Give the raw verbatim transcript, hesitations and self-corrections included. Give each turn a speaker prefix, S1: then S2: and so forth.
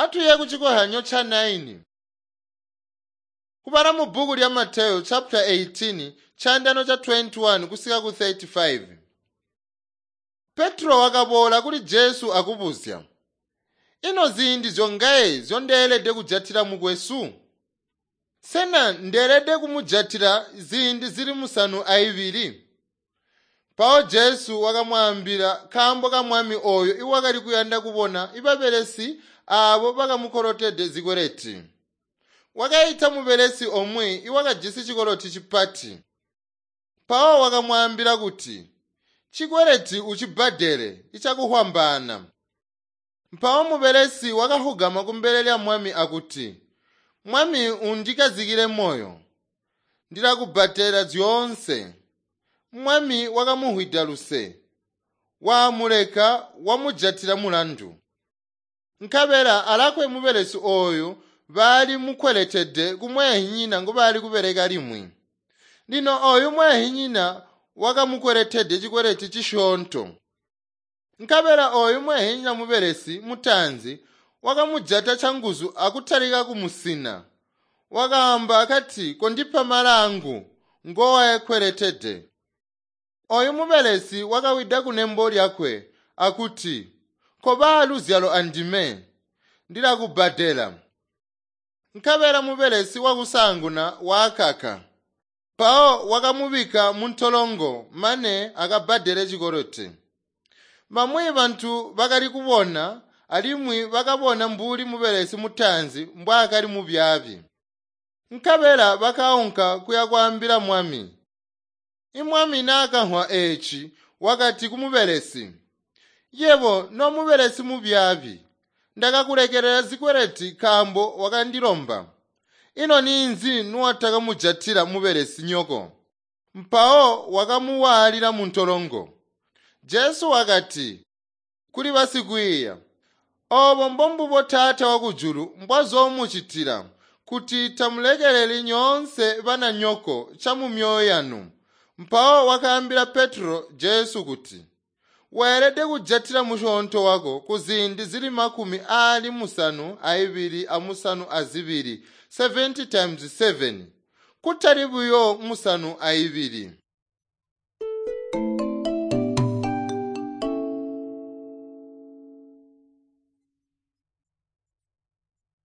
S1: Atuye kuchikohanyo cha naini. Kubala mu bhuku lya Mateyu chapter eighteen chandano cha twenty-one kusika ku thirty-five. Petro wakaboola kuli Jesu akubuzya, "Ino ziindi zyongaye zyondeelede kujatila mukwesu? Sena ndeelede kumujatila ziindi zili musanu aibili?" Mpawo Jesu wakamwaambila kaambo ka mwami ooyo iwakali kuyanda kubona ibabelesi aabo bakamukolotede zikweleti. Wakaita mubelesi omwe iwakajisi cikoloti cipati. Mpawo wakamwaambila kuti, "Chikweleti ucibbadele icakuhwambaana." Mpawo mubelesi wakahugama kumbele lya mwami akuti, "Mwami, undikazikile moyo, ndilakubbadela zyoonse." Mwami wakamuhwida luse, waamuleka wamujatila mulandu. Nkabela alakwe mubelesi ooyu baali mukweletede kumweehinyina ngubaali kubeleka limwi. Lino ooyu mweehinyina wakamukweletede cikweleti cisyoonto. Nkabela ooyu mweehinyina mubelesi mutaanzi wakamujata canguzu akutalika kumusina. Wakaamba akati, "Kondipa malangu ngowakweletede." Ooyu mubelesi wakawida kunembo lyakwe akuti, "Koba luzyalo andime, ndilakubbadela." Nkabela mubelesi wakusaanguna waakaka. Mpawo wakamubika muntolongo mane akabbadele cikoloti. Bamwi bantu bakali kubona alimwi bakabona mbuli mubelesi mutaanzi mbwaakali mubyaabi. Nkabela bakaunka kuya kwaambila mwami. Imwami naakamvwa eeci wakati kumubelesi, "Yebo nomubelesi mubyaabi, ndakakulekelela zikweleti nkaambo wakandilomba. Ino ninzi nuwatakamujatila mubelesi nyoko?" Mpawo wakamuwaalila muntolongo. Jesu wakati kuli basikwiiya, "Oobo mbombubo Taata wakujulu mbwazoomucitila kuti tamulekeleli nyoonse bananyoko camumyoyo yanu." Mpawo wakaambila Petro Jesu kuti, "Weelede kujatila musyoonto wako kuziindi zili makumi aali musanu aibili amusanu azibili, seventy times seven, kutali buyo musanu aibili."